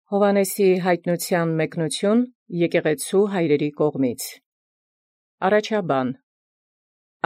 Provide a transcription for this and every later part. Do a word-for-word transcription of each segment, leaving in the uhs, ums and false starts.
Հովհաննեսի յայտնութեան մեկնութիւն եկեղեցու հայրերի կողմից։ Առաջաբան.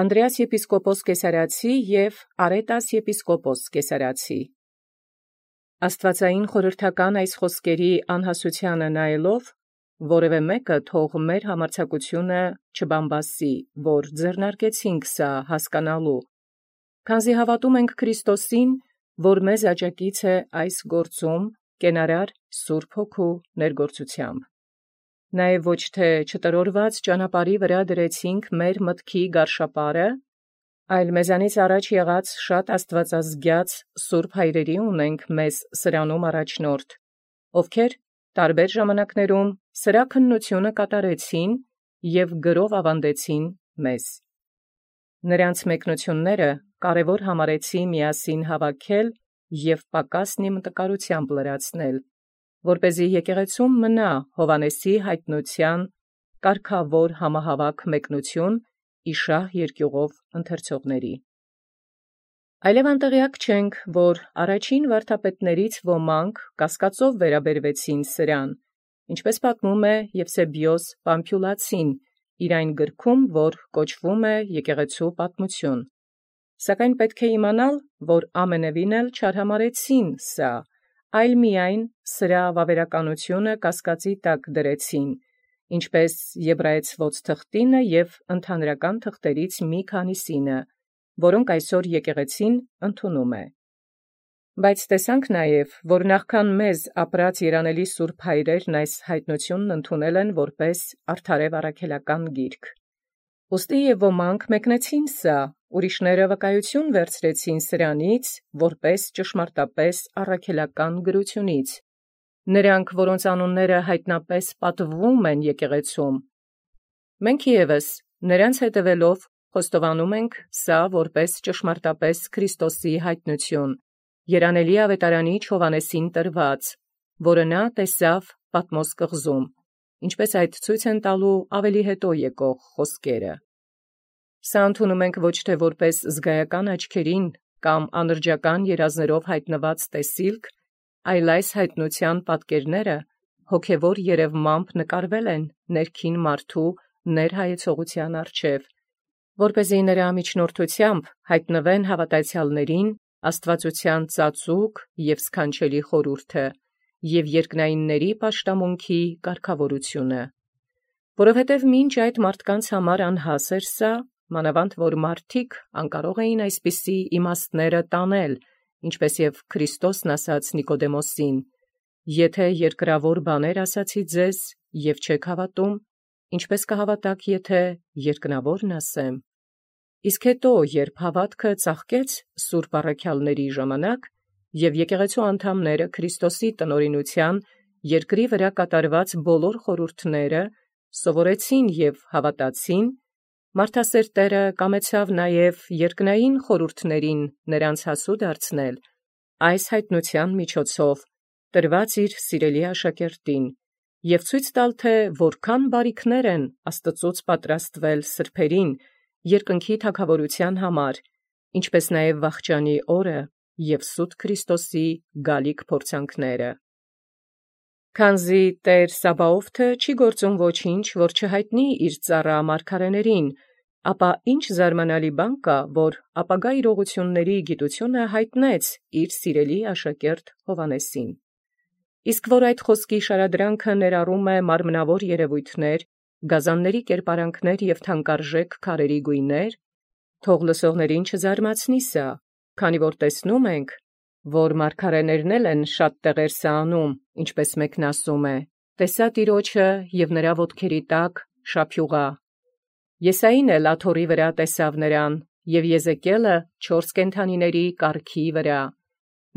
Անդրեաս եպիսկոպոս Կեսարացի և Արետաս եպիսկոպոս Կեսարացի։ Աստուածային խորհրդական այս խոսքերի անհասութեանը նայելով, որևէ մեկը թող մեր համարձակութիւնը չբամբասի, որ ձեռնարկեցինք սա հասկանալու, քանզի հավատում ենք Քրիստոսին, որ մեզ աջակից է այս գործում, կենարար Սուրբ Հոգու ներգործութեամբ։ Նաև ոչ թե չտրորված ճանապարհի վրա դրեցինք մեր մտքի գարշապարը, այլ մեզանից առաջ եղած շատ աստվածազգյաց սուրբ հայրերի ունենք մեզ սրանում առաջնորդ, ովքեր տարբեր ժամանակներում սրա քննությունը կատարեցին և գրով ավանդեցին մեզ։ Նրանց մեկնությունները կարևոր համարեցի միասին հավաքել և պակասն իմ տկարութեամբ լրացնել, որպեսզի եկեղեցում մնա Հովհաննեսի յայտնութեան կարգավոր համահավաք մեկնություն իշխահ երկիւղով ընթերցողների։ Այլև անտեղեակ չենք, որ առաջին վարդապետացիներից ոմանք կասկածով վերաբերվեցին սրան, ինչպէս պատմում է Եվսեբիոս Պամփիլացին իր այն գրքում, որ կոչվում է Եկեղեցու պատմություն։ Սակայն պետք է իմանալ, որ ամենևին էլ չարհամարհեցին սա, այլ միայն սրա վավերականությունը կասկածի տակ դրեցին, ինչպէս Եբրայեցւոց թղթինը և ընդհանրական թղթերից մի քանիսինը, որոնք այսօր եկեղեցին ընդունում է։ Բայց տեսանք նաև, որ նախքան մեզ ապրած երանելի սուրբ հայրերն այս յայտնութիւնն ընդունել են որպէս արդարեւ առաքելական գիրք։ Ուստի և ոմանք մեկնեցին սա, ուրիշները վկայություն վերցրեցին սրանից, որպէս ճշմարտապէս առաքելական գրութիւնից, նրանք, որոնց անունները յայտնապէս պատվվում են եկեղեցում։ Մենք ևս նրանց հետևելով խոստովանում ենք սա որպէս ճշմարտապէս Քրիստոսի յայտնութիւն, երանելի աւետարանիչ Հովհաննեսին տրված, որը նա տեսաւ Պատմոս կղզում, ինչպէս այդ ցույց են տալու ավելի հետո եկող խոսքերը։ Սա ընդունում ենք ոչ թե որպէս զգայական աչքերին կամ անրջական երազներով յայտնված տեսիլք, այլ այս յայտնութեան պատկերները հոգևոր երևմամբ նկարվել են ներքին մարդու ներհայեցողութեան առջև, որպեսզի նրա միջնորդութեամբ յայտնվեն հավատացյալներին աստվածութեան ծածուկ և սքանչելի խորհուրդը և երկնայինների պաշտամունքի կարգավորությունը։ Որովհետև մինչ այդ մարդկանց համար անհաս էր սա, մանավանդ որ մարդիկ անկարող էին այսպիսի իմաստները տանել, ինչպէս և Քրիստոսն ասաց Նիկոդեմոսին. «Եթե երկրավոր բաներ ասացի ձեզ, և չեք հավատում, ինչպէս կհավատաք, եթե երկնաւորն ասեմ»։ Իսկ հետո, երբ հավատքը ծաղկեց սուրբ առաքելոցն ժամանակ, և եկեղեցու անդամները Քրիստոսի տնօրինութեան երկրի վրա կատարված բոլոր խորհուրդները սովորեցին և հավատացին, մարդասեր Տէրը կամեցաւ նաև երկնային խորհուրդներին նրանց հասուં դարձնել, այս յայտնութեան միջոցով տրված իր սիրելի աշակերտին, և ցույց տալ, թէ որքան բարիքներ են Աստուծոց պատրաստվել սրբերին երկնքի թագաւորութեան համար, ինչպէս նաև վախճանի օրը և սուտ Քրիստոսի գալիք փորձանքները։ Քանզի Տէր Սաբաւթը չի գործում ոչինչ, որ չյայտնի իր ծառայ մարգարէիցն, ապա ինչ զարմանալի բան կա, որ ապագա իրողությունների գիտութիւնը յայտնեց իր սիրելի աշակերտ Հովհաննեսին։ Իսկ որ այդ խոսքի շարադրանքը ներառում է մարմնավոր երևոյթներ, գազանների կերպարանքներ և թանկարժեք քարերի գույներ, թող լսողացն չզարմացնի սա, քանի որ տեսնում ենք, որ մարգարէներն էլ են շատ տեղեր սա անում, ինչպէս մեկն ասում է. «Տեսայ Տեառնէ և նրա ոտքերի տակ շափիւղայ»։ Եսային էլ աթոռի վրա տեսաւ նրան, և Եզեկիէլը չորս կենդանիների կառքի վրա։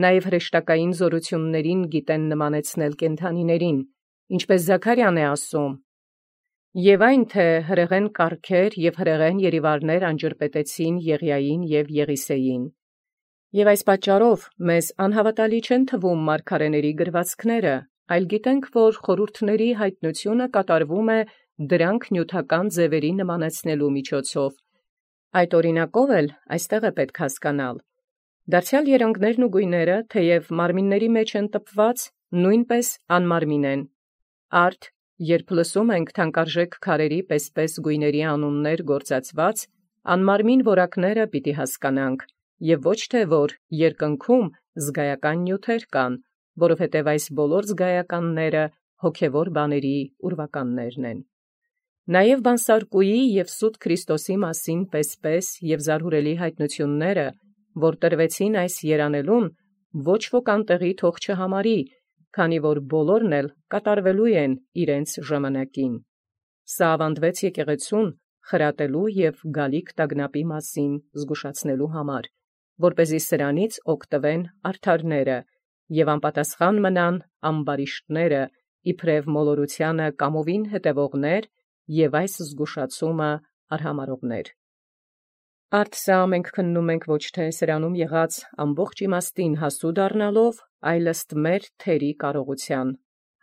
Նաև հրեշտակային զօրութիւնացն գիտեն նմանեցնել կենդանիցն, ինչպէս Զաքարիան է ասում. «Եւ այն թէ հրեղեն կառքեր և հրեղեն երիվառներ անջրպետեցին Եղիային և Եղիսեին»։ Եւ այս պատճառով մեզ անհավատալի չեն թվում մարգարէիցն գրվածքները, այլ գիտենք, որ խորհուրդների յայտնութիւնը կատարվում է դրանք նիւթական ձևերի նմանեցնելու միջոցով։ Այդ օրինակով էլ այստեղ է պետք հասկանալ. դարձեալ երանգներն ու գույները թեև մարմինների մեջ են տպված, նույնպես անմարմին են։ Արդ, երբ լսում ենք թանկարժեք քարերի պես-պես գույների անուններ գործածված, անմարմին որակները պիտի հասկանանք, եւ ոչ թե որ երկնքում զգայական նյութեր կան, որովհետև այս բոլոր զգայականները հոգևոր բաների ուրվականներն են։ Նաև բանսարկուի և սուտ Քրիստոսի մասին պես-պես և զարհուրելի հայտնությունները, որ տրվեցին այս երանելուն, ոչ ոք անտեղի թող չհամարի, քանի որ բոլորն էլ կատարվելու են իրենց ժամանակին։ Սա ավանդվեց եկեղեցուն խրատելու և գալիք տագնապի մասին զգուշացնելու համար, որպեսզի սրանից օգտվեն արդարները և անպատասխան մնան ամբարիշտները, իբրև մոլորությանը կամովին հետևողներ և այս զգուշացումը արհամարհողներ։ Արդ սա մենք քննում ենք ոչ թե սրանում եղած ամբողջ իմաստին հասու դառնալով, այլ ըստ մեր թերի կարողության,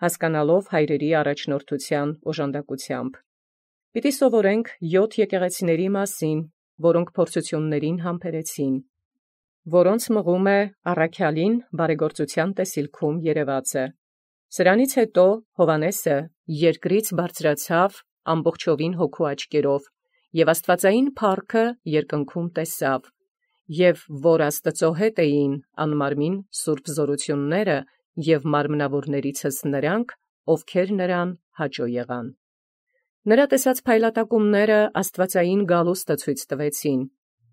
հասկանալով հայրերի առաջնորդության օժանդակությամբ։ Պիտի սովորենք յոթ եկեղեցիների մասին, որոնք փորձություններին համբերեցին, որոնց մղում է առաքյալին բարեգործության տեսիլքում երևածը։ Սրանից հետո Հովհաննեսը երկրից բարձրացավ ամբողջովին հոգու աչքերով և աստվածային փառքը երկնքում տեսավ, և որ Աստծո հետ էին անմարմին սուրբ զորությունները և մարմնավորներիցս նրանք, ովքեր նրան հաճո եղան։ Նրա տեսած փայլատակումները աստվածային գալուստը ցույց տվեցին,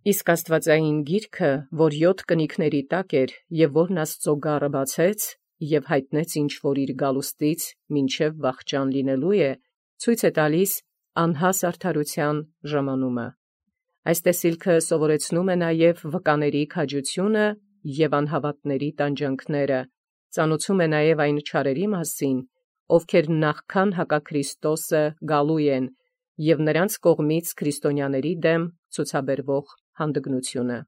իսկ աստվածային գիրքը, որ յոթ կնիքների տակ էր և որն Աստծո գառը բացեց և հայտնեց ինչ-որ իր գալուստից մինչև վախճան լինելու է, ցույց է տալիս անհաս արդարության ժամանումը։ Այս տեսիլքը սովորեցնում է նաև վկաների քաջությունը և անհավատների տանջանքները, ծանուցում է նաև այն չարերի մասին, ովքեր նախքան հակաքրիստոսը գալու են, և նրանց կողմից քրիստոնյաների դեմ ցուցաբերվող հանդգնությունը։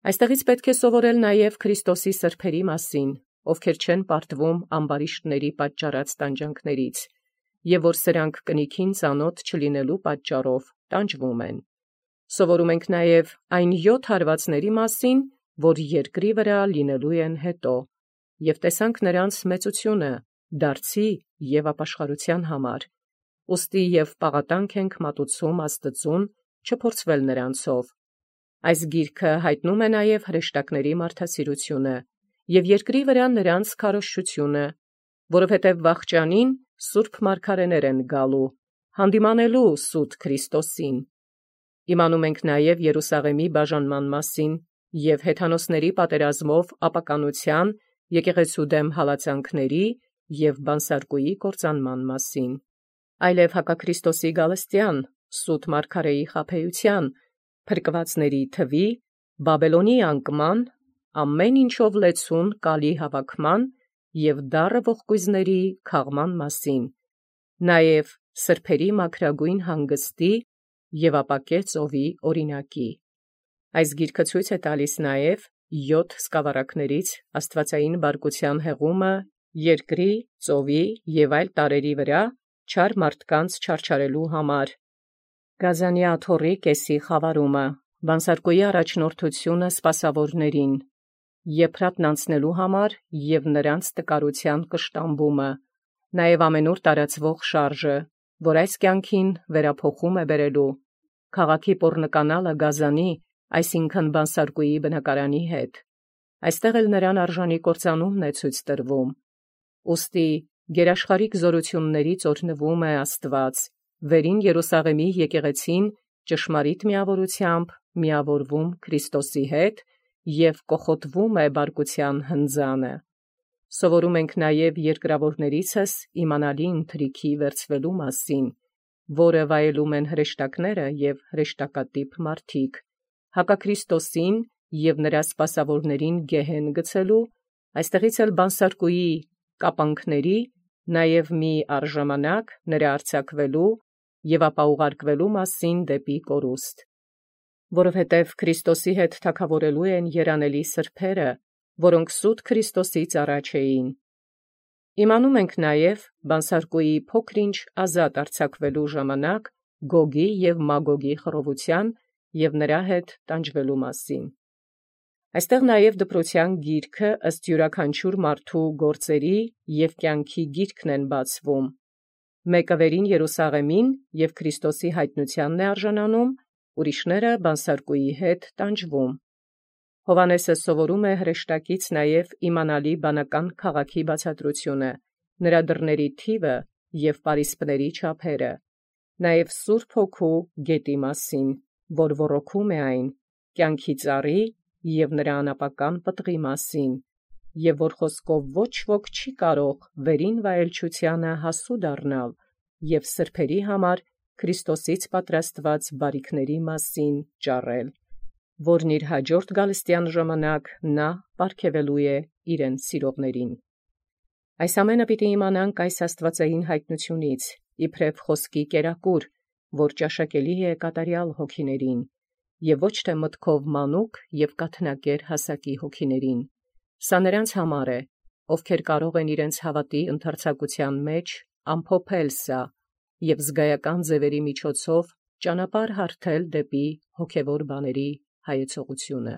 Այստեղից պետք է սովորել նաև Քրիստոսի սրբերի մասին, ովքեր չեն պարտվում ամբարիշտների պատճառած տանջանքներից, և որ սրանք կնիքին ծանոթ չլինելու պատճառով տանջվում են։ Սովորում ենք նաև այն յոթ հարվածների մասին, որ երկրի վրա լինելու են հետո, և տեսանք նրանց մեծությունը, դարձի և ապաշխարության համար, ուստի և պաղատանք ենք մատուցում Աստծուն չփորձվել նրանցով։ Այս գիրքը հայտնում է նաև հրեշտակների մարդասիրությունը և երկրի վրա նրանց քարոզչությունը, որովհետև վախճանին սուրբ մարգարեներ են գալու, հանդիմանելու սուտ Քրիստոսին։ Իմանում ենք նաև Երուսաղեմի բաժանման մասին և հեթանոսների պատերազմով ապականության, եկեղեցու դեմ հալածանքների և բանսարկուի կործանման մասին, այլև հակաքրիստոսի գալստյան, սուտ մարգարեի խաբեության, փրկվածների թվի, Բաբելոնի անկման, ամեն ինչով լեցուն կալի հավաքման և դառը ողկույզների քաղման մասին, նաև սրբերի մաքրագույն հանգստի և ապակե ծովի օրինակի։ Այս գիրքը ցույց է տալիս նաև յոթ սկավառակներից աստվածային բարկության հեղումը երկրի, ծովի և այլ տարրերի վրա չար մարդկանց չարչարելու համար, Գազանի աթոռի կեսի խավարումը, բանսարկուի առաջնորդությունը սպասավորներին, եփրատն անցնելու համար և նրանց տկարության կշտամբումը, նաև ամենուր տարածվող շարժը, որ այս կյանքին վերափոխում է բերելու, քաղաքի պոռնկանալը Գազանի, այսինքն բանսարկուի բնակարանի հետ, այստեղ էլ նրան արժանի կործանումն է ցույց տրվում։ Ուստի գերաշխարհիկ զորություններից օրհնվում է Աստված, վերին Երուսաղեմի եկեղեցին ճշմարիտ միավորությամբ միավորվում Քրիստոսի հետ և կոխոտվում է բարկության հնձանը։ Սովորում ենք նաև երկրավորներիցս իմանալի ընթրիքի վերցվելու մասին, որը վայելում են հրեշտակները և հրեշտակատիպ մարդիկ, հակաքրիստոսին և նրա սպասավորներին գեհեն գցելու, այստեղից էլ բանսարկուի կապանքների, նաև մի առժամանակ նրա արձակվելու և ապա ուղարկվելու մասին դեպի կորուստ, որովհետև Քրիստոսի հետ թագավորելու են երանելի սրբերը, որոնք սուտ Քրիստոսից առաջ էին։ Իմանում ենք նաև բանսարկուի փոքր-ինչ ազատ արձակվելու ժամանակ Գոգի և Մագոգի խռովության և նրա հետ տանջվելու մասին։ Այստեղ նաև դպրոցյան գիրքը ըստ յուրաքանչյուր մարդու գործերի և կյանքի գիրքն են բացվում։ Մեկը վերին Երուսաղեմին և Քրիստոսի յայտնությանն է արժանանում, ուրիշները բանսարկուի հետ տանջվում։ Հովհաննեսը սովորում է հրեշտակից նաև իմանալի բանական քաղաքի բացատրությունը, նրա դռների թիվը և պարիսպների չափերը, նաև Սուրբ Հոգու գետի մասին, որ ոռոգում է այն, կյանքի ծառի և նրա անապական պտղի մասին, և որ խոսքով ոչ ոք չի կարող վերին վայելչութիւնը հասու դառնալ և սրբերի համար Քրիստոսից պատրաստված բարիքների մասին ճառել, որն իր հաջորդ գալստեան ժամանակ նա պարգևելու է իրեն սիրողներին։ Այս ամենը պիտի իմանանք այս աստուածային յայտնութիւնից, իբրև խոսքի կերակուր, որ ճաշակելի է կատարյալ հոգիներին, և ոչ թե մտքով մանուկ և կաթնակեր հասակի հոգիներին։ Սա նրանց համար է, ովքեր կարող են իրենց հաւատի ընդարձակութեան մեջ ամփոփել սա և զգայական ձևերի միջոցով ճանապարհ հարթել դեպի հոգևոր բաների հայեցողությունը։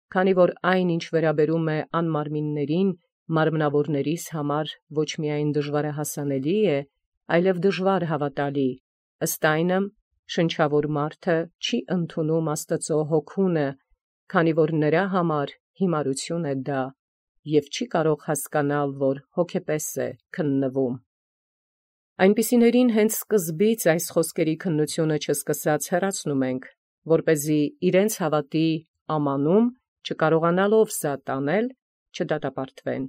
Քանի որ այն, ինչ վերաբերում է անմարմիններին, մարմնավորներիս համար ոչ միայն դժվարահասանելի է, այլև դժվար հավատալի, ըստ այնմ շնչավոր մարդը չի ընդունում Աստուծոյ հոգունը, քանի որ նրա համար հիմարություն է դա, և չի կարող հասկանալ, որ հոգեպես է քննվում։ Այնպիսիներին հենց սկզբից այս խոսքերի քննութիւնը չսկսած հեռացնում ենք, որպեսզի իրենց հաւատի ամանում չկարողանալով զատ տանել, չդատապարտվեն։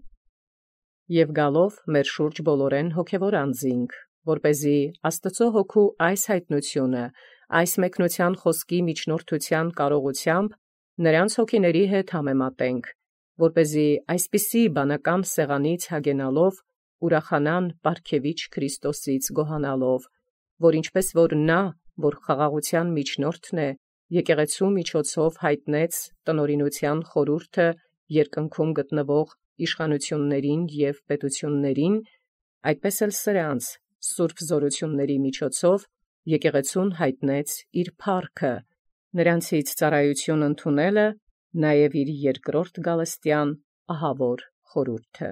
Եւ գալով մեր շուրջ բոլորեն հոգևոր անձինք, որպեսզի Աստուծոյ Հոգու այս յայտնութիւնը, այս մեկնութեան խոսքի միջնորդութեան կարողութեամբ նրանց հոգիների հետ համեմատենք, որպեսզի այսպիսի բանական սեղանից հագենալով ուրախանան պարգևիչ Քրիստոսից գոհանալով, որ ինչպէս որ նա, որ խաղաղութեան միջնորդն է, եկեղեցու միջոցով յայտնեց տնօրինութեան խորհուրդը երկնքում գտնվող իշխանութիւնացն և պետութիւնացն, այդպէս էլ սրանց սուրբ զօրութիւնացն միջոցով եկեղեցուն յայտնեց իր փառքը, նրանցից ծառայութիւն ընդունելը, նաև իր երկրորդ գալստեան ահավոր խորհուրդը։